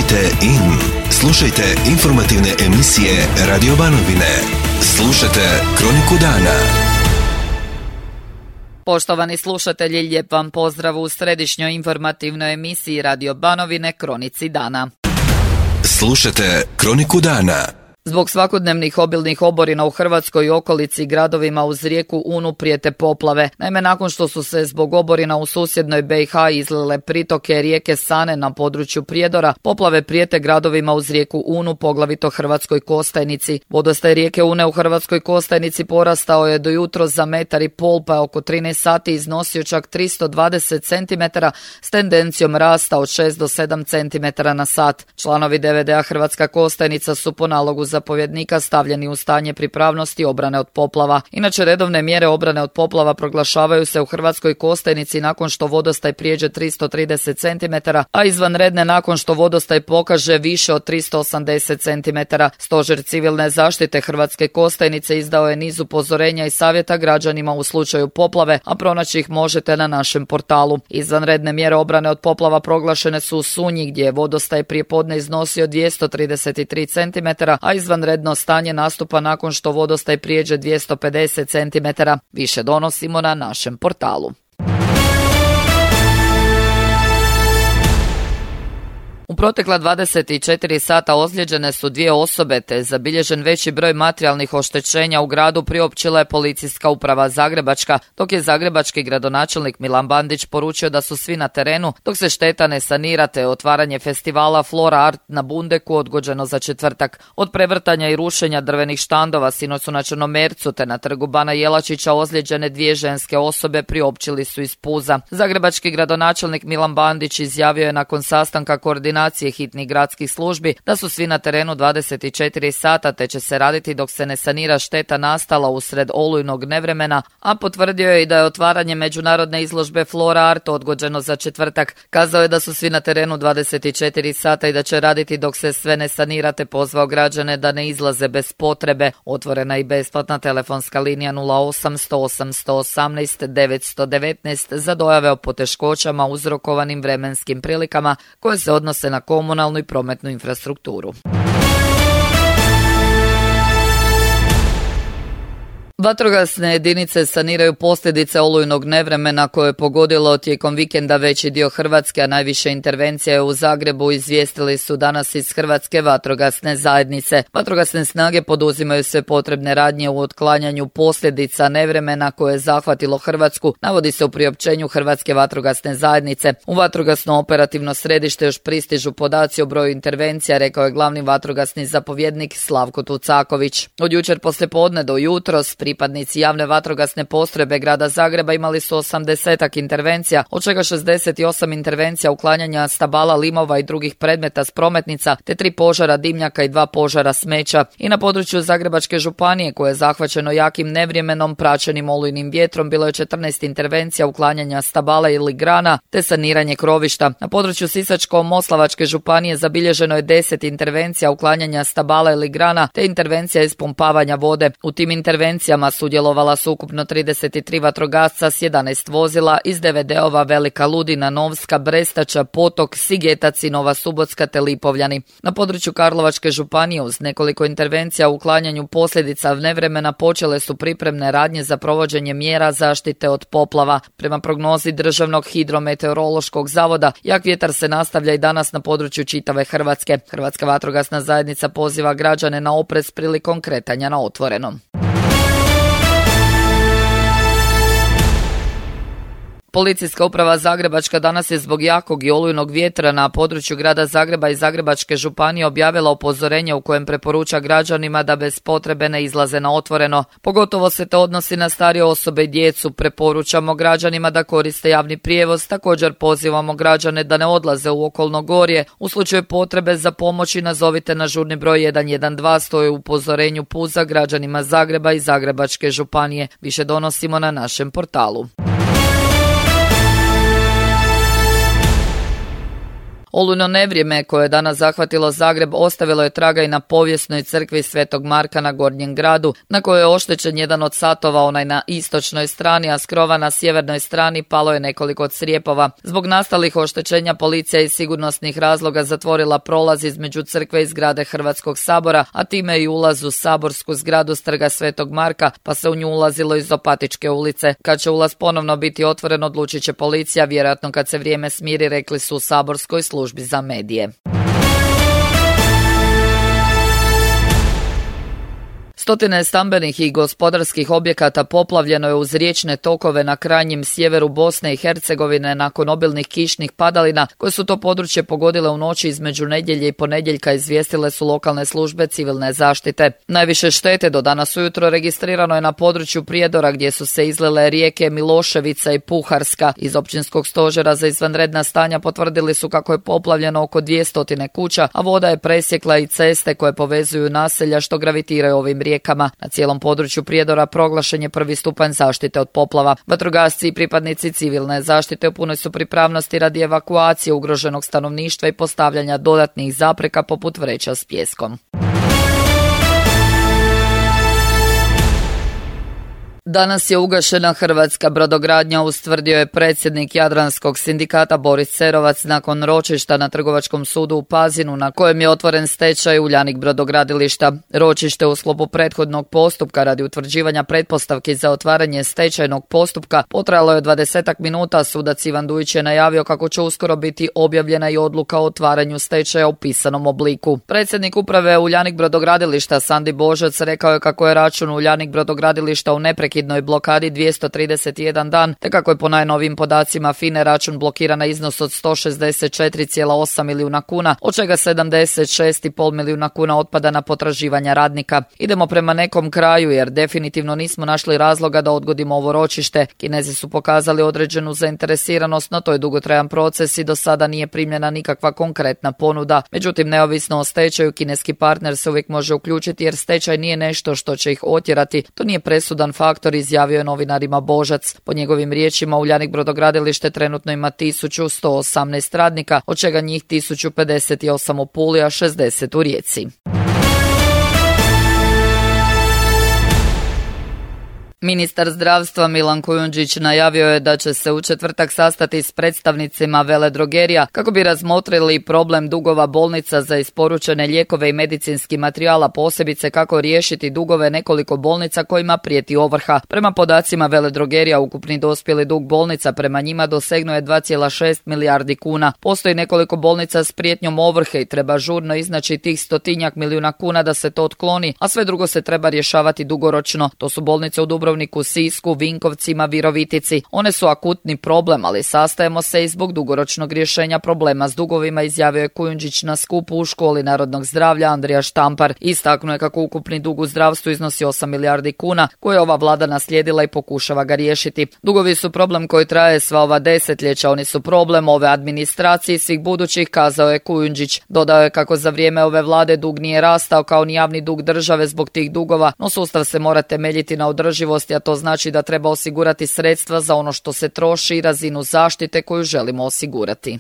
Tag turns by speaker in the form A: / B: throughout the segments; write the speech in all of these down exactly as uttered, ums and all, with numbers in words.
A: Tunite in. Slušajte informativne emisije Radio Banovine. Slušajte Kroniku dana.
B: Poštovani slušatelji, lijep vam pozdrav u središnjoj informativnoj emisiji Radio Banovine Kronici dana.
A: Slušajte Kroniku dana.
B: Zbog svakodnevnih obilnih oborina u Hrvatskoj i okolici gradovima uz rijeku Unu prijete poplave. Naime, nakon što su se zbog oborina u susjednoj B i H izlile pritoke rijeke Sane na području Prijedora, poplave prijete gradovima uz rijeku Unu, poglavito Hrvatskoj Kostajnici. Vodostaj rijeke Une u Hrvatskoj Kostajnici porastao je do jutros za metar i pol, pa oko trinaest sati iznosio čak tristo dvadeset centimetara s tendencijom rasta od šest do sedam centimetara na sat. Članovi D V D-a Hrvatska Kostajnica su po nalogu zapovjednika stavljeni u stanje pripravnosti obrane od poplava. Inače, redovne mjere obrane od poplava proglašavaju se u Hrvatskoj Kostajnici nakon što vodostaj prijeđe tristo trideset centimetara, a izvanredne nakon što vodostaj pokaže više od tristo osamdeset centimetara. Stožer civilne zaštite Hrvatske Kostajnice izdao je niz upozorenja i savjeta građanima u slučaju poplave, a pronaći ih možete na našem portalu. Izvanredne mjere obrane od poplava proglašene su u Sunji, gdje je vodostaj prijepodne iznosio dvjesto trideset tri centimetara, a izvanredno stanje nastupa nakon što vodostaj prijeđe dvjesto pedeset centimetara. Više donosimo na našem portalu. U protekla dvadeset četiri sata ozlijeđene su dvije osobe, te zabilježen veći broj materijalnih oštećenja u gradu, priopćila je Policijska uprava Zagrebačka, dok je zagrebački gradonačelnik Milan Bandić poručio da su svi na terenu, dok se šteta ne sanira, te otvaranje festivala Flora Art na Bundeku odgođeno za četvrtak. Od prevrtanja i rušenja drvenih štandova sinoć su na Črnomercu te na trgu Bana Jelačića ozlijeđene dvije ženske osobe, priopćili su iz Puza. Zagrebački gradonačelnik Milan Bandić izjavio je nakon sastanka koordinacije hitnih gradskih službi da su svi na terenu dvadeset četiri sata, te će se raditi dok se ne sanira šteta nastala usred olujnog nevremena, a potvrdio je i da je otvaranje međunarodne izložbe Flora Art odgođeno za četvrtak. Kazao je da su svi na terenu dvadeset četiri sata i da će raditi dok se sve ne sanira, te pozvao građane da ne izlaze bez potrebe. Otvorena i besplatna telefonska linija nula osam sto osam sto osamnaest devetsto devetnaest za dojave o poteškoćama uzrokovanim vremenskim prilikama koje se odnose na komunalnu i prometnu infrastrukturu. Vatrogasne jedinice saniraju posljedice olujnog nevremena koje je pogodilo tijekom vikenda veći dio Hrvatske, a najviše intervencija je u Zagrebu, izvijestili su danas iz Hrvatske vatrogasne zajednice. Vatrogasne snage poduzimaju sve potrebne radnje u otklanjanju posljedica nevremena koje je zahvatilo Hrvatsku, navodi se u priopćenju Hrvatske vatrogasne zajednice. U vatrogasno operativno središte još pristižu podaci o broju intervencija, rekao je glavni vatrogasni zapovjednik Slavko Tucaković. Od jučer poslijepodne do jutros pripadnici javne vatrogasne postrojbe grada Zagreba imali su osamdesetak intervencija, od čega šezdeset osam intervencija uklanjanja stabala, limova i drugih predmeta s prometnica, te tri požara dimnjaka i dva požara smeća. I na području Zagrebačke županije, koje je zahvaćeno jakim nevremenom praćenim olujnim vjetrom, bilo je četrnaest intervencija uklanjanja stabala ili grana, te saniranje krovišta. Na području Sisačko-moslavačke županije zabilježeno je deset intervencija uklanjanja stabala ili grana, te intervencija ispumpavanja vode. U tim intervencijama sudjelovala su ukupno trideset tri vatrogasca s jedanaest vozila iz D V D-ova Velika Ludina, Novska, Brestača, Potok, Sigetac i Nova Subotska te Lipovljani. Na području Karlovačke županije uz nekoliko intervencija u uklanjanju posljedica nevremena počele su pripremne radnje za provođenje mjera zaštite od poplava. Prema prognozi Državnog hidrometeorološkog zavoda, jak vjetar se nastavlja i danas na području čitave Hrvatske. Hrvatska vatrogasna zajednica poziva građane na oprez prilikom kretanja na otvorenom. Policijska uprava Zagrebačka danas je zbog jakog i olujnog vjetra na području grada Zagreba i Zagrebačke županije objavila upozorenje u kojem preporuča građanima da bez potrebe ne izlaze na otvoreno. Pogotovo se to odnosi na starije osobe i djecu. Preporučamo građanima da koriste javni prijevoz. Također pozivamo građane da ne odlaze u okolno gorje. U slučaju potrebe za pomoći nazovite na žurni broj jedan jedan dva, stoji u upozorenju Puza građanima Zagreba i Zagrebačke županije. Više donosimo na našem portalu. Olujno nevrijeme koje je danas zahvatilo Zagreb ostavilo je traga i na povijesnoj crkvi Svetog Marka na Gornjem gradu, na kojoj je oštećen jedan od satova, onaj na istočnoj strani, a s krova na sjevernoj strani palo je nekoliko crijepova. Zbog nastalih oštećenja policija iz sigurnosnih razloga zatvorila prolaz između crkve i zgrade Hrvatskog sabora, a time i ulaz u saborsku zgradu s trga Svetog Marka, pa se u nju ulazilo iz Opatičke ulice. Kad će ulaz ponovno biti otvoren, odlučit će policija, vjerojatno kad se vrijeme smiri, rekli su u saborskoj službi za medije. Stotine stambenih i gospodarskih objekata poplavljeno je uz riječne tokove na krajnjem sjeveru Bosne i Hercegovine nakon obilnih kišnih padalina koje su to područje pogodile u noći između nedjelje i ponedjeljka, izvijestile su lokalne službe civilne zaštite. Najviše štete do danas ujutro registrirano je na području Prijedora gdje su se izlile rijeke Miloševica i Puharska. Iz općinskog stožera za izvanredna stanja potvrdili su kako je poplavljeno oko dvjesto kuća, a voda je presjekla i ceste koje povezuju naselja što gravitiraju ovim rijekama. Na cijelom području Prijedora proglašen je prvi stupanj zaštite od poplava. Vatrogasci i pripadnici civilne zaštite u punoj su pripravnosti radi evakuacije ugroženog stanovništva i postavljanja dodatnih zapreka poput vreća s pijeskom. Danas je ugašena hrvatska brodogradnja, ustvrdio je predsjednik Jadranskog sindikata Boris Cerovac nakon ročišta na Trgovačkom sudu u Pazinu na kojem je otvoren stečaj Uljanik brodogradilišta. Ročište u sklopu prethodnog postupka radi utvrđivanja pretpostavki za otvaranje stečajnog postupka potrajalo je dvadesetak minuta. Sudac Ivan Dujić je najavio kako će uskoro biti objavljena i odluka o otvaranju stečaja u pisanom obliku. Predsjednik uprave Uljanik brodogradilišta Sandi Božac rekao je kako je račun Uljanik brodogradilišta u neprekidnoj blokadi dvjesto trideset jedan dan, te kako je po najnovijim podacima F I N A račun blokiran na iznos od sto šezdeset četiri zarez osam milijuna kuna, od čega sedamdeset šest zarez pet milijuna kuna otpada na potraživanja radnika. Idemo prema nekom kraju jer definitivno nismo našli razloga da odgodimo ovo ročište. Kinezi su pokazali određenu zainteresiranost, no to je dugotrajan proces i do sada nije primljena nikakva konkretna ponuda. Međutim, neovisno o stečaju, kineski partner se uvijek može uključiti jer stečaj nije nešto što će ih otjerati. To nije presudan faktor, izjavio je novinarima Božac. Po njegovim riječima, Uljanik brodogradilište trenutno ima tisuću sto osamnaest radnika, od čega njih tisuću pedeset osam u Puli, a šezdeset u Rijeci. Ministar zdravstva Milan Kujundžić najavio je da će se u četvrtak sastati s predstavnicima veledrogerija kako bi razmotrili problem dugova bolnica za isporučene lijekove i medicinski materijala, posebice kako riješiti dugove nekoliko bolnica kojima prijeti ovrha. Prema podacima veledrogerija, ukupni dospjeli dug bolnica prema njima dosegnuo je dva zarez šest milijardi kuna. Postoji nekoliko bolnica s prijetnjom ovrhe i treba žurno iznaći tih stotinjak milijuna kuna da se to otkloni, a sve drugo se treba rješavati dugoročno. To su bolnice u Dubrovniku, Sisku, Vinkovcima, Virovitici. One su akutni problem, ali sastajemo se i zbog dugoročnog rješenja problema s dugovima, izjavio je Kujundžić na skupu u Školi narodnog zdravlja Andrija Štampar. Istaknuo je kako ukupni dug u zdravstvu iznosi osam milijardi kuna, koje je ova vlada naslijedila i pokušava ga riješiti. Dugovi su problem koji traje sva ova desetljeća, oni su problem ove administracije i svih budućih, kazao je Kujundžić. Dodao je kako za vrijeme ove vlade dug nije rastao kao ni javni dug države zbog tih dugova, no sustav se mora temeljiti na održivosti, a to znači da treba osigurati sredstva za ono što se troši i razinu zaštite koju želimo osigurati.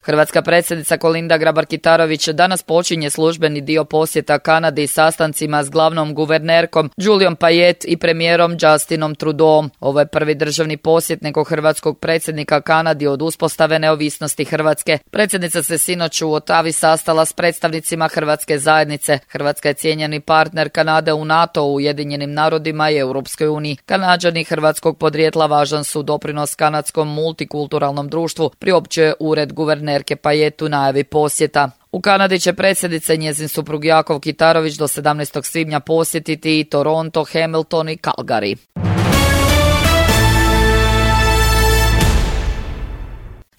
B: Hrvatska predsjednica Kolinda Grabar-Kitarović danas počinje službeni dio posjeta Kanadi sastancima s glavnom guvernerkom Juliom Payet i premijerom Justinom Trudeauom. Ovo je prvi državni posjet nekog hrvatskog predsjednika Kanadi od uspostave neovisnosti Hrvatske. Predsjednica se sinoć u Otavi sastala s predstavnicima Hrvatske zajednice. Hrvatska je cijenjeni partner Kanade u NATO, u Ujedinjenim narodima i Europskoj uniji. Kanađani hrvatskog podrijetla važan su doprinos kanadskom multikulturalnom društvu, priopćuje ured guvernerke Payet u najavi posjeta. U Kanadi će predsjednica i njezin suprug Jakov Kitarović do sedamnaestog svibnja posjetiti i Toronto, Hamilton i Calgary.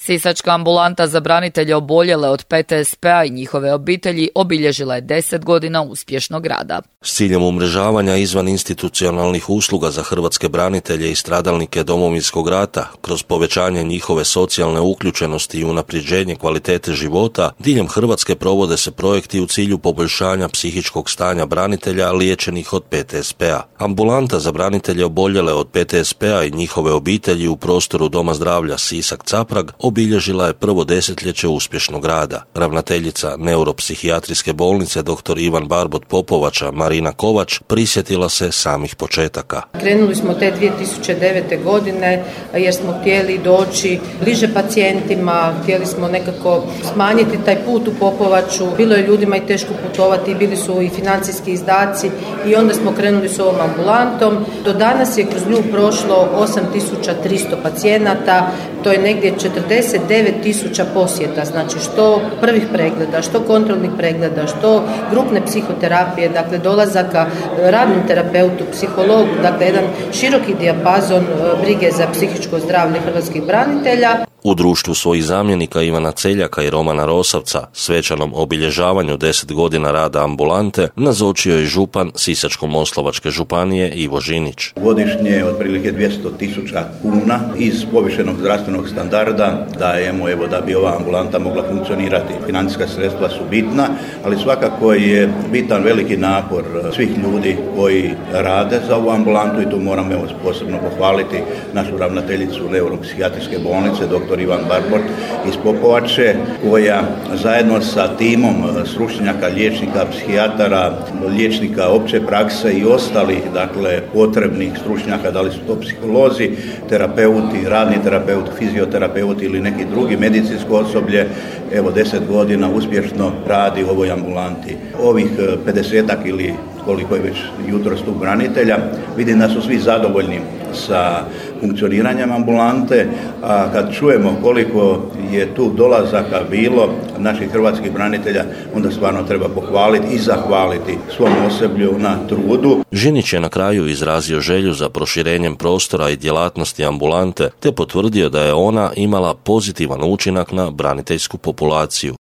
B: Sisačka ambulanta za branitelje oboljele od P T S P-a i njihove obitelji obilježila je deset godina uspješnog rada.
C: S ciljem umrežavanja izvan institucionalnih usluga za hrvatske branitelje i stradalnike Domovinskog rata, kroz povećanje njihove socijalne uključenosti i unapređenje kvalitete života, diljem Hrvatske provode se projekti u cilju poboljšanja psihičkog stanja branitelja liječenih od P T S P-a. Ambulanta za branitelje oboljele od P T S P-a i njihove obitelji u prostoru Doma zdravlja Sisak-Caprag obilježila je prvo desetljeće uspješnog rada. Ravnateljica neuropsihijatrijske bolnice dr. Ivan Barbot Popovača Marina Kovač prisjetila se samih početaka.
D: Krenuli smo te dvije tisuće devete. godine jer smo htjeli doći bliže pacijentima, htjeli smo nekako smanjiti taj put u Popovaču. Bilo je ljudima i teško putovati, bili su i financijski izdaci i onda smo krenuli s ovom ambulantom. Do danas je kroz nju prošlo osam tisuća tristo pacijenata, to je negdje četrdeset devet tisuća posjeta, znači što prvih pregleda, što kontrolnih pregleda, što grupne psihoterapije, dakle dolazaka radnom terapeutu, psihologu, dakle jedan široki dijapazon brige za psihičko zdravlje hrvatskih branitelja.
C: U društvu svojih zamjenika Ivana Celjaka i Romana Rosavca svečanom obilježavanju deset godina rada ambulante nazočio je župan Sisačko-moslavačke županije Ivo Žinić.
E: Godišnje otprilike dvjesto tisuća kuna iz povišenog zdravstvenog standarda dajemo evo da bi ova ambulanta mogla funkcionirati. Financijska sredstva su bitna, ali svakako je bitan veliki napor svih ljudi koji rade za ovu ambulantu i tu moram evo posebno pohvaliti našu ravnateljicu neuropsihijatrijske bolnice dr. Ivan Barbot iz Popovače, koja zajedno sa timom stručnjaka, liječnika, psihijatara, liječnika opće prakse i ostalih, dakle, potrebnih stručnjaka, da li su to psiholozi, terapeuti, radni terapeuti, fizioterapeuti ili neki drugi medicinsko osoblje, evo deset godina uspješno radi u ovoj ambulanti. Ovih pedesetak ili koliko je već jutros tu branitelja, vidim da su svi zadovoljni sa funkcioniranjem ambulante, a kad čujemo koliko je tu dolazaka bilo naših hrvatskih branitelja, onda stvarno treba pohvaliti i zahvaliti svom osoblju na trudu.
C: Žinić je na kraju izrazio želju za proširenjem prostora i djelatnosti ambulante, te potvrdio da je ona imala pozitivan učinak na braniteljsku populaciju.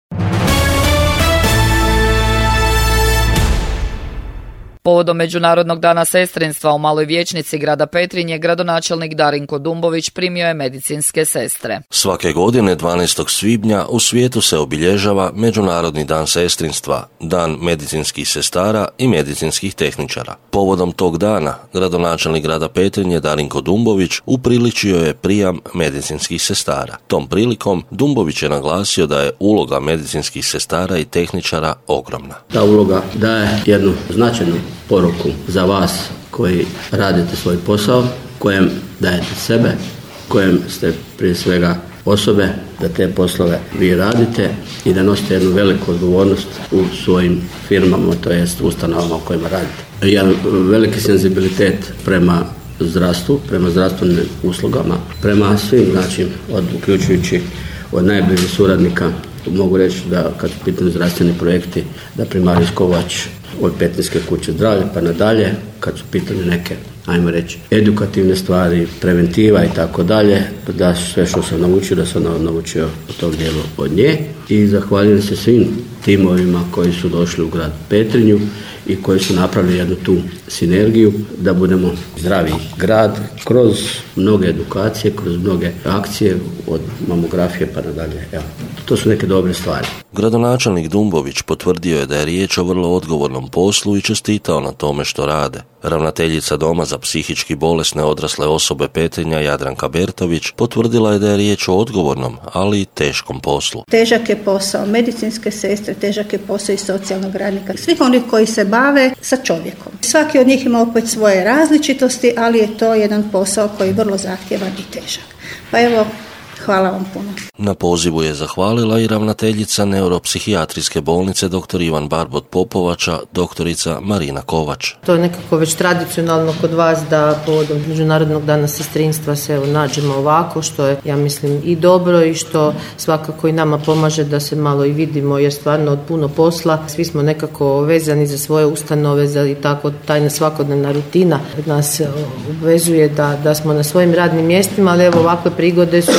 B: Povodom Međunarodnog dana sestrinstva u Maloj vijećnici grada Petrinje, gradonačelnik Darinko Dumbović primio je medicinske sestre.
C: Svake godine dvanaestog svibnja u svijetu se obilježava Međunarodni dan sestrinstva, dan medicinskih sestara i medicinskih tehničara. Povodom tog dana, gradonačelnik grada Petrinje Darinko Dumbović upriličio je prijam medicinskih sestara. Tom prilikom Dumbović je naglasio da je uloga medicinskih sestara i tehničara ogromna.
F: Ta uloga daje jednu značajnu poruku za vas koji radite svoj posao, kojem dajete sebe, kojem ste prije svega osobe da te poslove vi radite i da nosite jednu veliku odgovornost u svojim firmama, to jest ustanovama u kojima radite. Jedan veliki senzibilitet prema zdravstvu, prema zdravstvenim uslugama, prema svim, znači, od, uključujući od najbližih suradnika. Mogu reći da kad su pitani zdravstveni projekti, da primarijs Kovač od Petrinjske kuće zdravlja pa nadalje, kad su pitane neke, ajmo reći, edukativne stvari, preventiva i tako dalje, da sve što sam naučio, da sam naučio u tom dijelu od nje. I zahvaljujem se svim timovima koji su došli u grad Petrinju i koji su napravili jednu tu sinergiju da budemo zdravi grad kroz mnoge edukacije, kroz mnoge akcije od mamografije pa nadalje. Evo, to su neke dobre stvari.
C: Gradonačelnik Dumbović potvrdio je da je riječ o vrlo odgovornom poslu i čestitao na tome što rade. Ravnateljica Doma za psihički bolesne odrasle osobe Petrinja Jadranka Bertović potvrdila je da je riječ o odgovornom, ali i teškom poslu.
G: Težak je posao medicinske sestre, težak je posao i socijalnog radnika, svih onih koji se bave sa čovjekom. Svaki od njih ima opet svoje različitosti, ali je to jedan posao koji je vrlo zahtjevan i težak. Pa evo, hvala vam puno.
C: Na pozivu je zahvalila i ravnateljica neuropsihijatrijske bolnice dr. Ivan Barbot Popovača, doktorica Marina Kovač.
D: To je nekako već tradicionalno kod vas da povodom Međunarodnog dana sestrinstva se evo nađemo ovako, što je, ja mislim, i dobro i što svakako i nama pomaže da se malo i vidimo, jer stvarno od puno posla svi smo nekako vezani za svoje ustanove, za i tako tajna svakodnevna rutina nas obvezuje da, da smo na svojim radnim mjestima, ali evo ovakve prigode su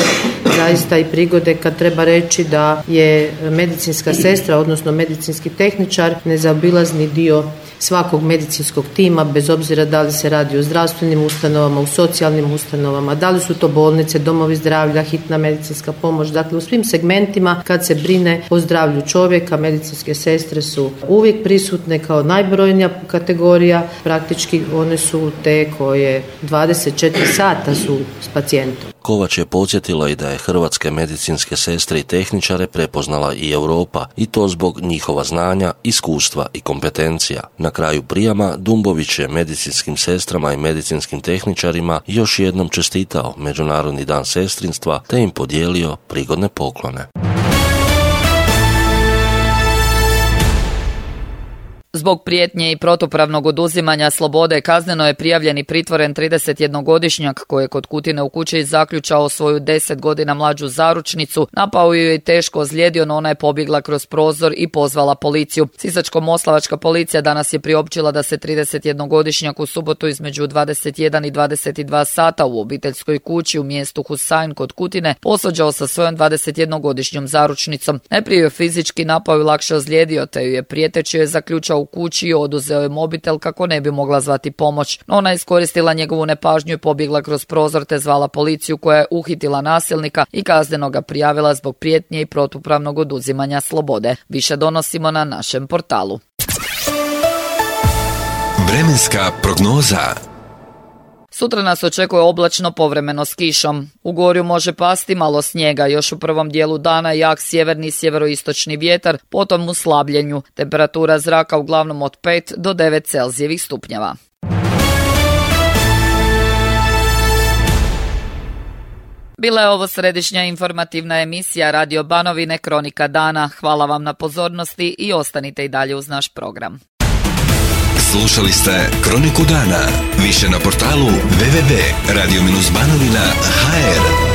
D: zaista i prigode kad treba reći da je medicinska sestra, odnosno medicinski tehničar, nezaobilazni dio svakog medicinskog tima, bez obzira da li se radi o zdravstvenim ustanovama, u socijalnim ustanovama, da li su to bolnice, domovi zdravlja, hitna medicinska pomoć. Dakle, u svim segmentima kad se brine o zdravlju čovjeka, medicinske sestre su uvijek prisutne kao najbrojnija kategorija. Praktički one su te koje dvadeset četiri sata su s pacijentom.
C: Kovač je podsjetila i da je hrvatske medicinske sestre i tehničare prepoznala i Europa, i to zbog njihova znanja, iskustva i kompetencija. Na kraju prijama Dumbović je medicinskim sestrama i medicinskim tehničarima još jednom čestitao Međunarodni dan sestrinstva te im podijelio prigodne poklone.
B: Zbog prijetnje i protupravnog oduzimanja slobode kazneno je prijavljen i pritvoren tridesetjednogodišnjak koji je kod Kutine u kući zaključao svoju deset godina mlađu zaručnicu, napao ju i teško ozlijedio, no ona je pobjegla kroz prozor i pozvala policiju. Sisačko-moslavačka policija danas je priopćila da se tridesetjednogodišnjak u subotu između dvadeset jedan i dvadeset dva sata u obiteljskoj kući u mjestu Husajn kod Kutine posvađao sa svojom dvadesetjednogodišnjom zaručnicom. Najprije ju fizički napao i lakše ozlijedio, te ju je prijeteći joj zaključao u kući i oduzeo je mobitel kako ne bi mogla zvati pomoć. No ona je iskoristila njegovu nepažnju i pobjegla kroz prozor te zvala policiju koja je uhitila nasilnika i kazneno ga prijavila zbog prijetnje i protupravnog oduzimanja slobode. Više donosimo na našem portalu.
A: Vremenska prognoza.
B: Sutra nas očekuje oblačno, povremeno s kišom. U Gorju može pasti malo snijega, još u prvom dijelu dana jak sjeverni i sjeveroistočni vjetar, potom u slabljenju. Temperatura zraka uglavnom od pet do devet Celzijevih stupnjeva. Bila je ovo središnja informativna emisija Radio Banovine Kronika dana. Hvala vam na pozornosti i ostanite i dalje uz naš program.
A: Slušali ste Kroniku dana. Više na portalu w w w tačka radio banovina tačka h r.